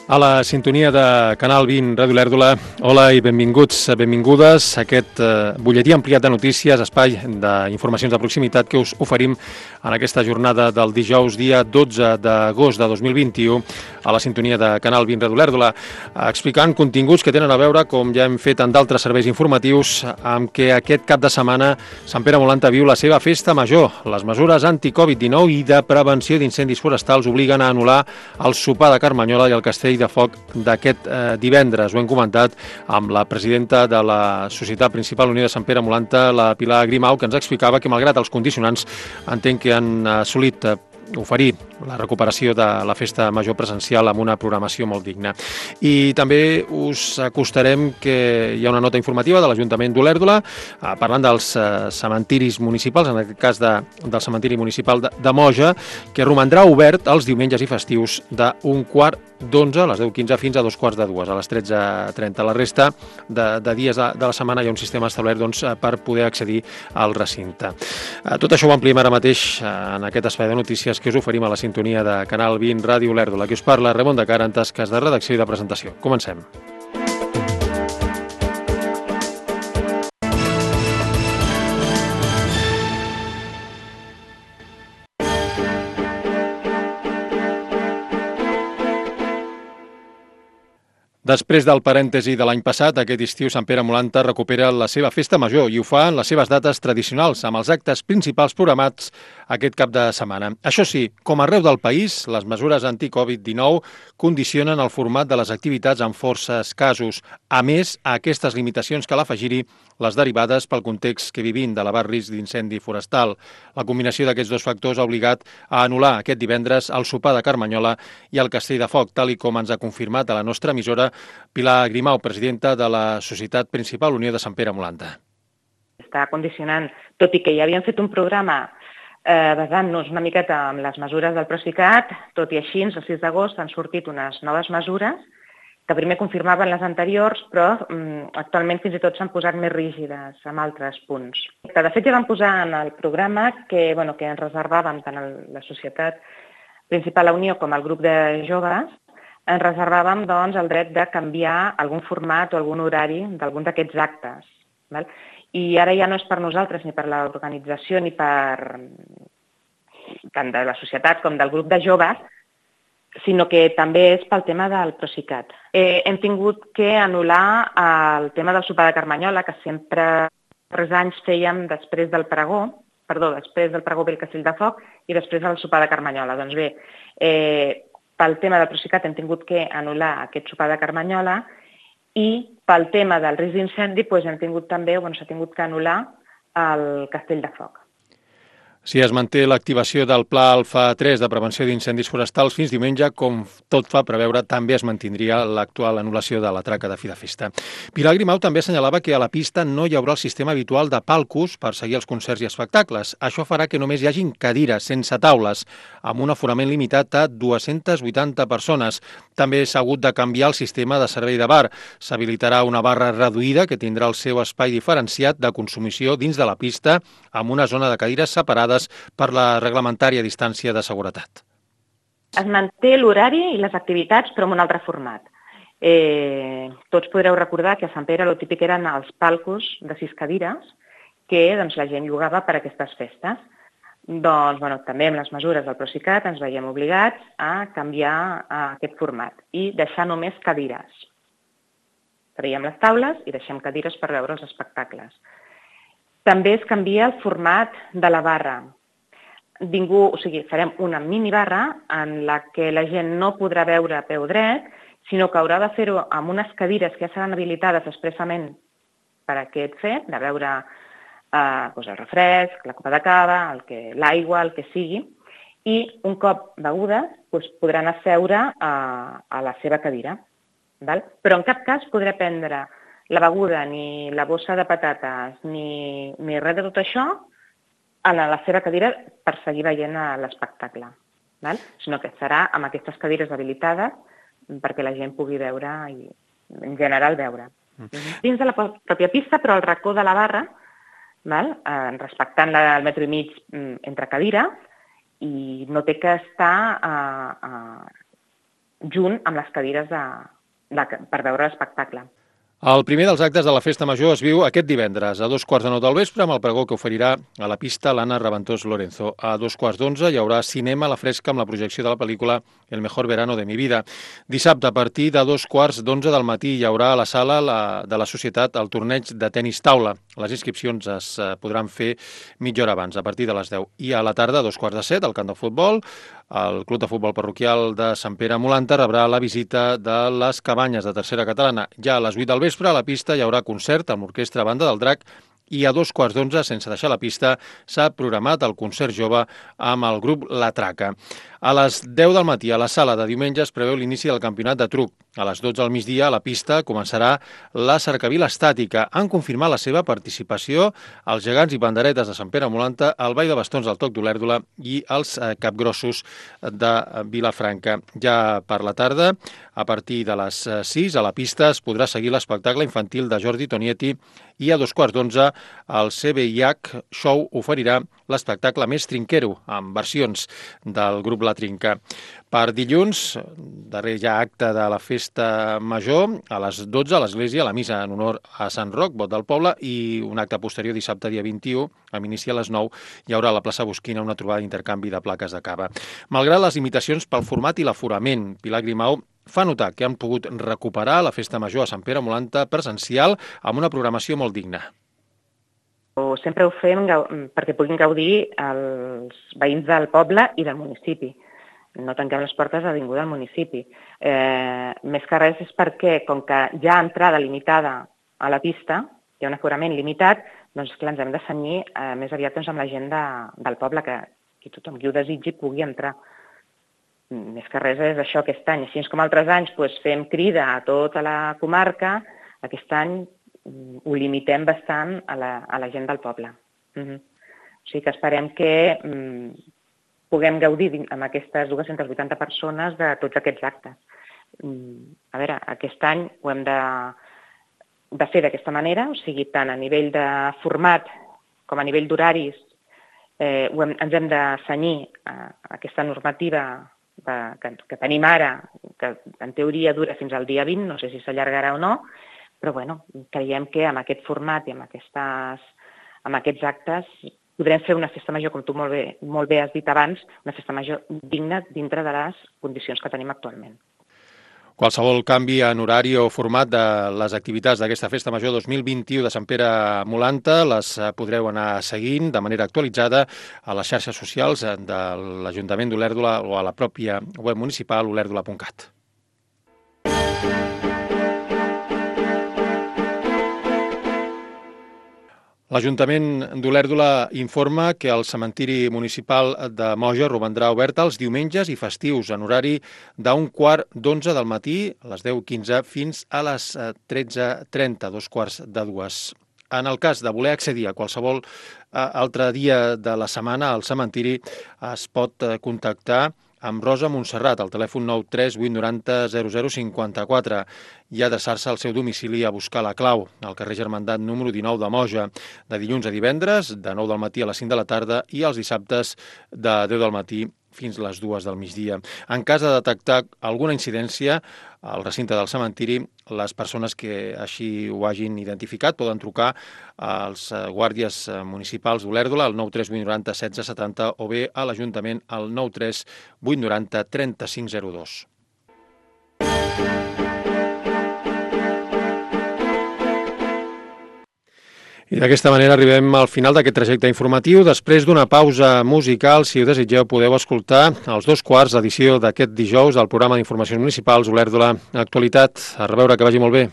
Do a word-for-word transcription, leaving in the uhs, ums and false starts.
A la sintonia de Canal vint, Ràdio Lèrdula, hola i benvinguts, benvingudes a aquest eh, butlletí ampliat de notícies, espai d'informacions de proximitat que us oferim en aquesta jornada del dijous, dia dotze d'agost de dos mil vint-i-u, a la sintonia de Canal vint, Ràdio Lèrdula, explicant continguts que tenen a veure, com ja hem fet en d'altres serveis informatius, amb què aquest cap de setmana Sant Pere Molanta viu la seva festa major. Les mesures anti-Covid dinou i de prevenció d'incendis forestals obliguen a anul·lar el sopar de Carmanyola i el castell de foc d'aquest eh, divendres. Ho hem comentat amb la presidenta de la Societat Principal Unió de Sant Pere Molanta, la Pilar Grimau, que ens explicava que, malgrat els condicionants, entenc que han assolit eh, oferir la recuperació de la festa major presencial amb una programació molt digna. I també us acostarem que hi ha una nota informativa de l'Ajuntament d'Olèrdola eh, parlant dels eh, cementiris municipals, en aquest cas de, del cementiri municipal de, de Moja, que romandrà obert els diumenges i festius d'un quart d'onze a les deu quinze fins a dos quarts de dues, a les tretze trenta. La resta de, de dies de, de la setmana hi ha un sistema establert doncs, per poder accedir al recinte. Tot això ho ampliem ara mateix en aquest espai de notícies que us oferim a la sintonia de Canal vint, Ràdio Lèrdula. Qui us parla, Ramon de Cara, en tasques de redacció i de presentació. Comencem. Després del parèntesi de l'any passat, aquest estiu Sant Pere Molanta recupera la seva festa major i ho fa en les seves dates tradicionals, amb els actes principals programats aquest cap de setmana. Això sí, com arreu del país, les mesures anti-Covid dinou condicionen el format de les activitats en força escassos. A més, a aquestes limitacions cal afegir-hi les derivades pel context que vivim d'elevat risc d'incendi forestal. La combinació d'aquests dos factors ha obligat a anul·lar aquest divendres el sopar de Carmanyola i el castell de foc, tal i com ens ha confirmat a la nostra emissora Pilar Grimau, presidenta de la Societat Principal Unió de Sant Pere Molanta. Està condicionant, tot i que ja havíem fet un programa eh, basant-nos una miqueta en les mesures del Procicat, tot i així, el sis d'agost han sortit unes noves mesures que primer confirmaven les anteriors, però mm, actualment fins i tot s'han posat més rígides amb altres punts. De fet, ja vam posar en el programa que, bueno, que ens reservàvem tant a la Societat Principal Unió com al grup de joves, ens reservàvem doncs, el dret de canviar algun format o algun horari d'algun d'aquests actes. Val? I ara ja no és per nosaltres, ni per l'organització, ni per tant de la societat com del grup de joves, sinó que també és pel tema del Procicat. Eh, hem tingut que anul·lar el tema del sopar de Carmanyola, que sempre tres anys fèiem després del pregó, perdó, després del pregó ve el castell de foc i després del sopar de Carmanyola. Doncs bé, eh, pel tema del Procicat hem tingut que anul·lar aquest sopar de Carmanyola i pel tema del risc d'incendi doncs hem tingut també, bueno, s'ha tingut que anul·lar el castell de foc. Si es manté l'activació del Pla Alfa tres de prevenció d'incendis forestals fins diumenge, com tot fa preveure, també es mantindria l'actual anul·lació de la traca de fi de festa. Pilar Grimau també assenyalava que a la pista no hi haurà el sistema habitual de palcos per seguir els concerts i espectacles. Això farà que només hi hagin cadires, sense taules, amb un aforament limitat a dues-centes vuitanta persones. També s'ha hagut de canviar el sistema de servei de bar. S'habilitarà una barra reduïda que tindrà el seu espai diferenciat de consumició dins de la pista, amb una zona de cadires separades per la reglamentària distància de seguretat. Es manté l'horari i les activitats, però en un altre format. Eh, tots podreu recordar que a Sant Pere el típic eren els palcos de sis cadires que doncs, la gent llogava per a aquestes festes. Doncs, bueno, també amb les mesures del Procicat ens veiem obligats a canviar a aquest format i deixar només cadires. Traiem les taules i deixem cadires per veure els espectacles. També es canvia el format de la barra. Ningú, o sigui, farem una minibarra en la que la gent no podrà veure a peu dret, sinó que haurà de fer-ho amb unes cadires que ja seran habilitades expressament per a aquest fet, de veure eh, doncs el refresc, la copa de cava, el que, l'aigua, el que sigui, i un cop begudes doncs podran asseure a, a la seva cadira. Val? Però en cap cas podrà prendre la beguda, ni la bossa de patates, ni, ni res de tot això a la seva cadira per seguir veient l'espectacle, sinó que serà amb aquestes cadires habilitades perquè la gent pugui veure i en general veure. Mm. Dins de la pròpia pista, però al racó de la barra, val? Eh, respectant el metro i mig entre cadires, i no té que estar eh, eh, junt amb les cadires de, de, per veure l'espectacle. El primer dels actes de la Festa Major es viu aquest divendres a dos quarts de nou del vespre amb el pregó que oferirà a la pista l'Anna Raventós Lorenzo. A dos quarts d'onze hi haurà cinema a la fresca amb la projecció de la pel·lícula El mejor verano de mi vida. Dissabte, a partir de dos quarts d'onze del matí, hi haurà a la sala la, de la Societat el torneig de tenis taula. Les inscripcions es podran fer mitja hora abans, a partir de les deu. I a la tarda, a dos quarts de set, al camp de futbol, el Club de Futbol Parroquial de Sant Pere Molanta rebrà la visita de les Cabanyes de Tercera Catalana. Ja a les vuit del vespre, a la pista hi haurà concert amb l'Orquestra Banda del Drac i a dos quarts d'onze, sense deixar la pista, s'ha programat el concert jove amb el grup La Traca. A les deu del matí, a la sala de diumenge, es preveu l'inici del campionat de truc. A les dotze del migdia, a la pista, començarà la cercavila estàtica. Han confirmat la seva participació els gegants i panderetes de Sant Pere Molanta, el ball de bastons del Toc d'Olèrdola i els capgrossos de Vilafranca. Ja per la tarda, a partir de les sis, a la pista es podrà seguir l'espectacle infantil de Jordi Tonietti i a dos quarts d'onze el C B I H Show oferirà l'espectacle més trinquero, amb versions del grup La Trinca. Per dilluns, darrer ja acte de la Festa Major, a les dotze a l'església, la missa en honor a Sant Roc, vot del poble, i un acte posterior dissabte, dia vint-i-u, amb inici a les nou, hi haurà a la plaça Bosquina una trobada d'intercanvi de plaques de cava. Malgrat les limitacions pel format i l'aforament, Pilar Grimau fa notar que han pogut recuperar la Festa Major a Sant Pere Molanta presencial amb una programació molt digna. Sempre ho fem perquè puguin gaudir els veïns del poble i del municipi. No tanquem les portes a ningú del municipi. Eh, més que res és perquè, com que hi ha entrada limitada a la pista, hi ha un aforament limitat, doncs clar, ens hem de cenyir eh, més aviat doncs, amb la gent de, del poble, que, que tothom qui ho desitgi pugui entrar. Més que res és això aquest any. Així com altres anys doncs, fem crida a tota la comarca, aquest any ho limitem bastant a la, a la gent del poble. Uh-huh. O sigui que esperem que um, puguem gaudir amb aquestes dues-centes vuitanta persones de tots aquests actes. Um, a veure, aquest any ho hem de, de fer d'aquesta manera, o sigui, tant a nivell de format com a nivell d'horaris, eh, ho hem, ens hem de cenyir a, a aquesta normativa de, que, que tenim ara, que en teoria dura fins al dia vint, no sé si s'allargarà o no, però bueno, creiem que amb aquest format i amb, aquestes, amb aquests actes podrem fer una festa major, com tu molt bé, molt bé has dit abans, una festa major digna dintre de les condicions que tenim actualment. Qualsevol canvi en horari o format de les activitats d'aquesta Festa Major dos mil vint-i-u de Sant Pere Molanta les podreu anar seguint de manera actualitzada a les xarxes socials de l'Ajuntament d'Olèrdola o a la pròpia web municipal olèrdola punt cat. L'Ajuntament d'Olèrdola informa que el cementiri municipal de Moja romandrà obert els diumenges i festius en horari d'un quart d'onze del matí a les deu quinze fins a les tretze trenta, dos quarts de dues. En el cas de voler accedir a qualsevol altre dia de la setmana al cementiri es pot contactar amb Rosa Montserrat, al telèfon nou tres vuit nou zero zero zero cinquanta-quatre i adreçar-se al seu domicili a buscar la clau, al carrer Germandat número dinou de Moja, de dilluns a divendres, de nou del matí a les cinc de la tarda i els dissabtes de deu del matí fins a les dues del migdia. En cas de detectar alguna incidència al recinte del cementiri, les persones que així ho hagin identificat poden trucar als guàrdies municipals d'Olèrdola al nou tres vuit nou zero setze setanta o bé a l'Ajuntament al nou tres vuit nou zero trenta cinc zero dos. I d'aquesta manera arribem al final d'aquest trajecte informatiu. Després d'una pausa musical, si ho desitgeu, podeu escoltar els dos quarts edició d'aquest dijous del programa d'informacions municipals Olèrdola Actualitat. A reveure, que vagi molt bé.